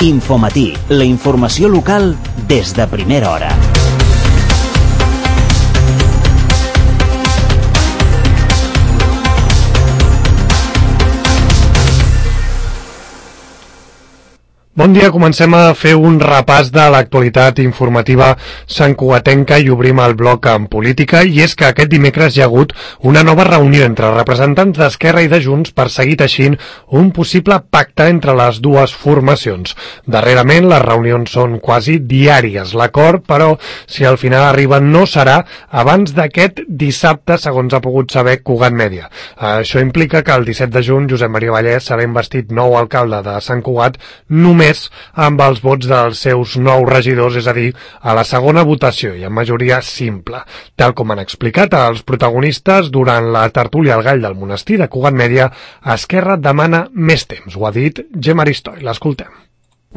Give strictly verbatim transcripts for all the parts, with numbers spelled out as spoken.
Infomatí, la informació local des de primera hora. Bon dia, comencem a fer un repàs de l'actualitat informativa santcugatenca i obrim el bloc en política, i és que aquest dimecres hi ha hagut una nova reunió entre representants d'Esquerra i de Junts per seguir teixint un possible pacte entre les dues formacions. Darrerament les reunions són quasi diàries. L'acord, però, si al final arriba, no serà abans d'aquest dissabte, segons ha pogut saber Cugat Mèdia. Això implica que el disset de juny Josep Maria Vallès serà investit nou alcalde de Sant Cugat, només amb els vots dels seus nou regidors, és a dir, a la segona votació i en majoria simple. Tal com han explicat els protagonistes durant la tertúlia al Gall del Monestir de Cugat Mèdia, Esquerra demana més temps. Ho ha dit Gemma Aristoi. L'escoltem.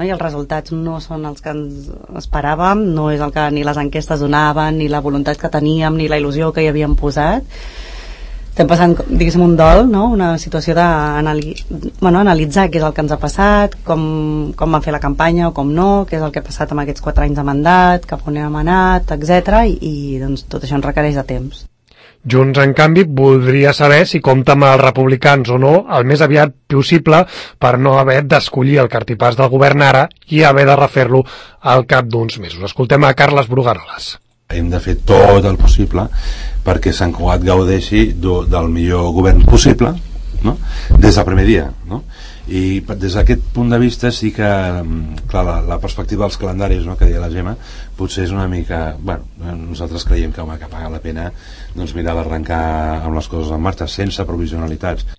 I els resultats no són els que ens esperàvem, no és el que ni les enquestes donaven, ni la voluntat que teníem, ni la il·lusió que hi havíem posat. Estem passant, diguéssim, un dol, no? Una situació d'analitzar bueno, analitzar què és el que ens ha passat, com, com vam fer la campanya o com no, què és el que ha passat amb aquests quatre anys de mandat, cap on hem anat, etcètera. I, i doncs, tot això ens requereix de temps. Junts, en canvi, voldria saber si compta amb els republicans o no el més aviat possible per no haver d'escollir el cartipàs del govern ara i haver de refer-lo al cap d'uns mesos. Escoltem a Carles Brugaroles. Hem de fer tot el possible perquè Sant Cugat gaudeixi do, del millor govern possible, no? Des del primer dia, no? I des d'aquest punt de vista sí que clar, la, la perspectiva dels calendaris, no, que deia la Gemma, potser és una mica, bueno, nosaltres creiem que, home, que paga la pena doncs, mirar d'arrencar amb les coses en marxa sense provisionalitats.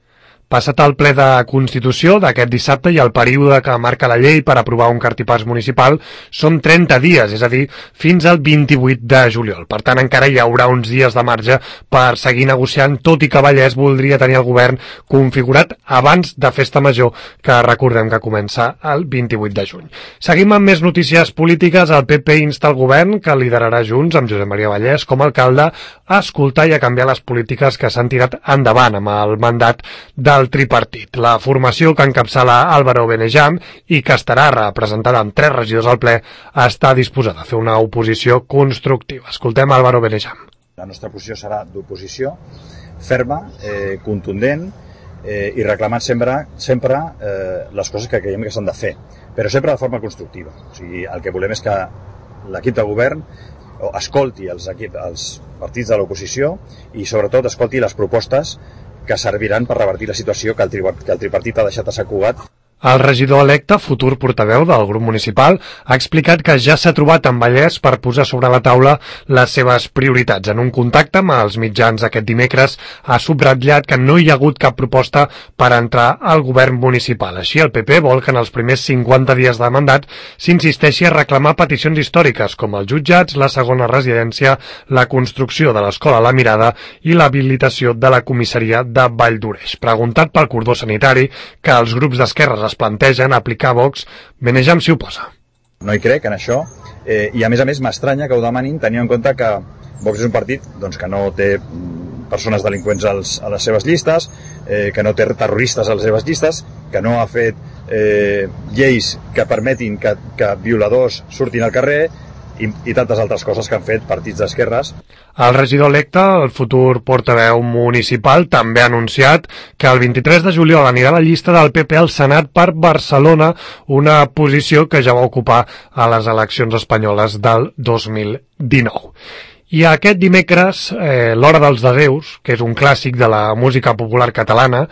Passat el ple de Constitució d'aquest dissabte i el període que marca la llei per aprovar un cartipàs municipal són trenta dies, és a dir, fins al vint-i-vuit de juliol. Per tant, encara hi haurà uns dies de marge per seguir negociant, tot i que Vallès voldria tenir el govern configurat abans de Festa Major, que recordem que comença el vint-i-vuit de juny. Seguim amb més notícies polítiques. El P P insta el govern, que liderarà Junts amb Josep Maria Vallès com a alcalde, a escoltar i a canviar les polítiques que s'han tirat endavant amb el mandat de el tripartit. La formació que encapçala Álvaro Benejam i que estarà representada amb tres regidors al ple està disposada a fer una oposició constructiva. Escoltem Álvaro Benejam. La nostra posició serà d'oposició ferma, eh, contundent eh, i reclamant sempre, sempre eh, les coses que creiem que s'han de fer, però sempre de forma constructiva. O sigui, el que volem és que l'equip de govern escolti els, equip, els partits de l'oposició i sobretot escolti les propostes que serviran per revertir la situació que el, tri que el tripartit ha deixat a Sant Cugat. El regidor electe, futur portaveu del grup municipal, ha explicat que ja s'ha trobat amb Vallès per posar sobre la taula les seves prioritats. En un contacte amb els mitjans aquest dimecres ha subratllat que no hi ha hagut cap proposta per entrar al govern municipal. Així, el P P vol que en els primers cinquanta dies de mandat s'insisteixi a reclamar peticions històriques com els jutjats, la segona residència, la construcció de l'escola La Mirada i l'habilitació de la comissaria de Valldoreix. Preguntat pel cordó sanitari que els grups d'esquerres es plantegen aplicar Vox, Benejam s'hi oposa. No hi crec en això, eh, i a més a més m'estranya que ho demanin tenint en compte que Vox és un partit doncs, que no té persones delinqüents als, a les seves llistes, eh, que no té terroristes a les seves llistes, que no ha fet eh, lleis que permetin que, que violadors surtin al carrer i, i tantes altres coses que han fet partits d'esquerres. El regidor electe, el futur portaveu municipal, també ha anunciat que el vint-i-tres de juliol anirà a la llista del P P al Senat per Barcelona, una posició que ja va ocupar a les eleccions espanyoles del dos mil dinou. I aquest dimecres, eh, l'Hora dels Adéus, que és un clàssic de la música popular catalana,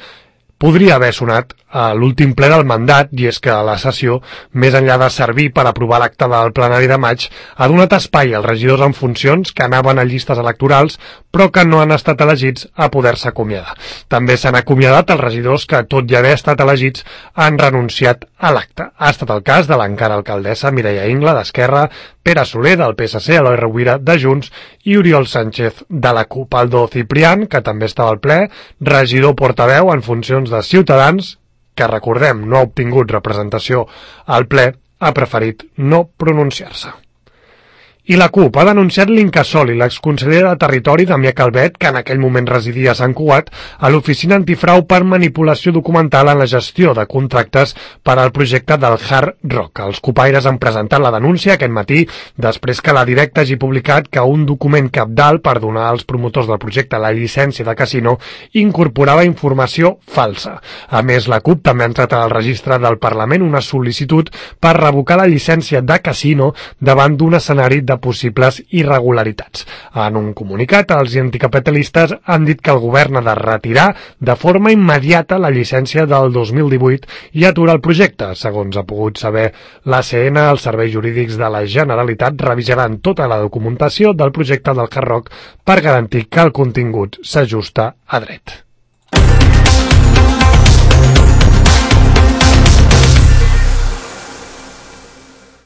podria haver sonat a l'últim ple del mandat, i és que la sessió, més enllà de servir per aprovar l'acte del plenari de maig, ha donat espai als regidors en funcions que anaven a llistes electorals però que no han estat elegits a poder-se acomiadar. També s'han acomiadat els regidors que, tot i haver estat elegits, han renunciat a l'acte. Ha estat el cas de l'encara alcaldessa Mireia Ingla, d'Esquerra, Pere Soler, del P S C, Eloi Rovira, de Junts, i Oriol Sánchez, de la CUP. Aldo Ciprián, que també estava al ple, regidor portaveu en funcions de Ciutadans, que, recordem, no ha obtingut representació al ple, ha preferit no pronunciar-se. I la CUP ha denunciat l'Incasòl i l'exconseller de Territori, Damià Calvet, que en aquell moment residia a Sant Cugat, a l'oficina antifrau per manipulació documental en la gestió de contractes per al projecte del Hard Rock. Els cupaires han presentat la denúncia aquest matí després que la Directa hagi publicat que un document cabdal per donar als promotors del projecte la llicència de casino incorporava informació falsa. A més, la CUP també ha entrat al registre del Parlament una sol·licitud per revocar la llicència de casino davant d'un escenari de possibles irregularitats. En un comunicat, els anticapitalistes han dit que el govern ha de retirar de forma immediata la llicència del dos mil divuit i aturar el projecte. Segons ha pogut saber l'A C N, els serveis jurídics de la Generalitat revisaran tota la documentació del projecte del Hard Rock per garantir que el contingut s'ajusta a dret.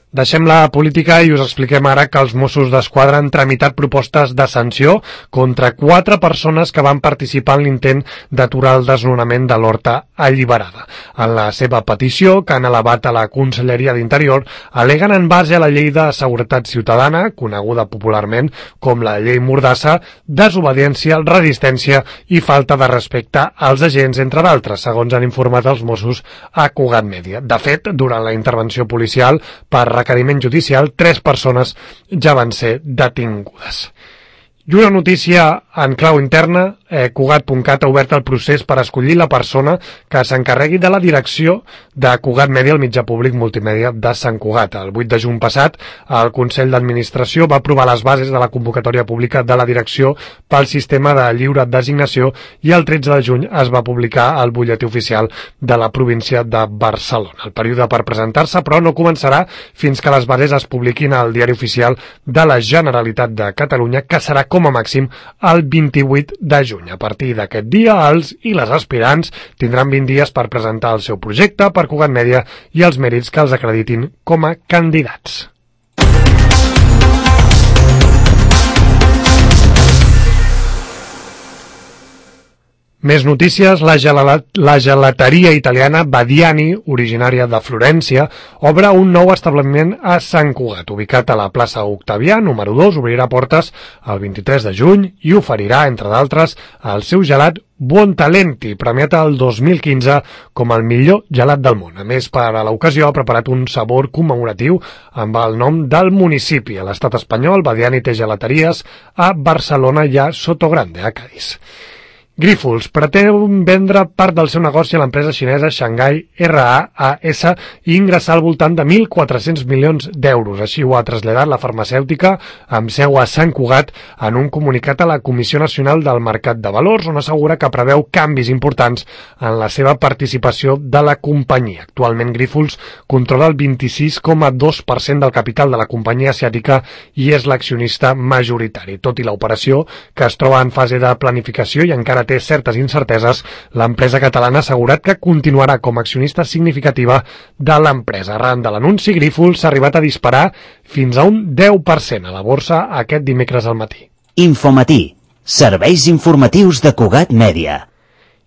Deixem la política i us expliquem ara que els Mossos d'Esquadra han tramitat propostes de sanció contra quatre persones que van participar en l'intent d'aturar el desnonament de l'Horta Alliberada. En la seva petició, que han elevat a la Conselleria d'Interior, al·leguen en base a la Llei de Seguretat Ciutadana, coneguda popularment com la Llei Mordassa, desobediència, resistència i falta de respecte als agents, entre d'altres, segons han informat els Mossos a Cugat Mèdia. De fet, durant la intervenció policial per requeriment judicial, tres persones ja van ser detingudes. I una notícia en clau interna, eh, Cugat punt cat ha obert el procés per escollir la persona que s'encarregui de la direcció de Cugat Mèdia, el mitjà públic multimèdia de Sant Cugat. El vuit de juny passat, el Consell d'Administració va aprovar les bases de la convocatòria pública de la direcció pel sistema de lliure designació i el tretze de juny es va publicar al butlletí oficial de la província de Barcelona. El període per presentar-se, però, no començarà fins que les bases es publiquin al Diari Oficial de la Generalitat de Catalunya, que serà com a màxim el vint-i-vuit de juny. A partir d'aquest dia, els i les aspirants tindran vint dies per presentar el seu projecte per Cugat Mèdia i els mèrits que els acreditin com a candidats. Més notícies. La, gelat, la gelateria italiana Badiani, originària de Florència, obre un nou establiment a Sant Cugat, ubicat a la plaça Octavià, número dos, obrirà portes el vint-i-tres de juny i oferirà, entre d'altres, el seu gelat Buontalenti, premiat el dos mil quinze com el millor gelat del món. A més, per a l'ocasió ha preparat un sabor commemoratiu amb el nom del municipi. A l'estat espanyol, Badiani té gelateries a Barcelona i a Sotogrande, a Cadis. Grífols pretén vendre part del seu negoci a l'empresa xinesa Shanghai R A A S i ingressar al voltant de mil quatre-cents milions d'euros. Així ho ha traslladat la farmacèutica amb seu a Sant Cugat en un comunicat a la Comissió Nacional del Mercat de Valors, on assegura que preveu canvis importants en la seva participació de la companyia. Actualment, Grífols controla el vint-i-sis coma dos per cent del capital de la companyia asiàtica i és l'accionista majoritari. Tot i l'operació, que es troba en fase de planificació i encara té certes incerteses, l'empresa catalana ha assegurat que continuarà com a accionista significativa de l'empresa. Arran de l'anunci, Grífols s'ha arribat a disparar fins a un deu per cent a la borsa aquest dimecres al matí. Infomatí, serveis informatius de Cugat Mèdia.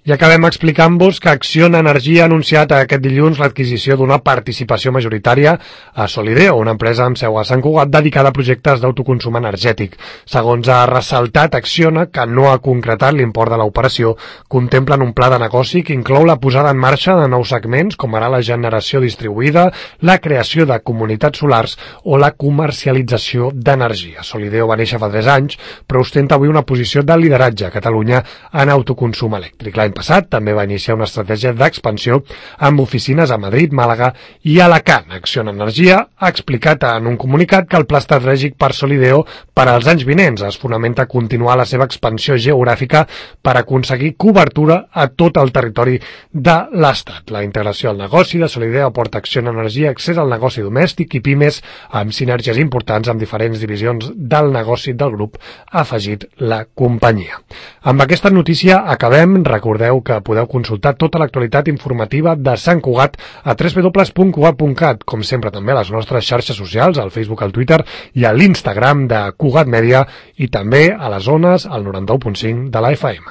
I acabem explicant-vos que Acciona Energia ha anunciat aquest dilluns l'adquisició d'una participació majoritària a Solideo, una empresa amb seu a Sant Cugat dedicada a projectes d'autoconsum energètic. Segons ha ressaltat Acciona, que no ha concretat l'import de l'operació, contemplen un pla de negoci que inclou la posada en marxa de nous segments, com ara la generació distribuïda, la creació de comunitats solars o la comercialització d'energia. Solideo va néixer fa tres anys, però ostenta avui una posició de lideratge a Catalunya en autoconsum elèctric. L'any passat també va iniciar una estratègia d'expansió amb oficines a Madrid, Màlaga i Alacant. Acciona Energia ha explicat en un comunicat que el pla estratègic per Solideo per als anys vinents es fonamenta a continuar la seva expansió geogràfica per aconseguir cobertura a tot el territori de l'Estat. La integració al negoci de Solideo aporta a Acciona Energia accés al negoci domèstic i pimes amb sinergies importants amb diferents divisions del negoci del grup, ha afegit la companyia. Amb aquesta notícia acabem. Recordem que podeu consultar tota l'actualitat informativa de Sant Cugat a w w w punt cugat punt cat, com sempre també a les nostres xarxes socials, al Facebook, al Twitter i a l'Instagram de Cugat Mèdia i també a les zones al noranta u punt cinc de la F M.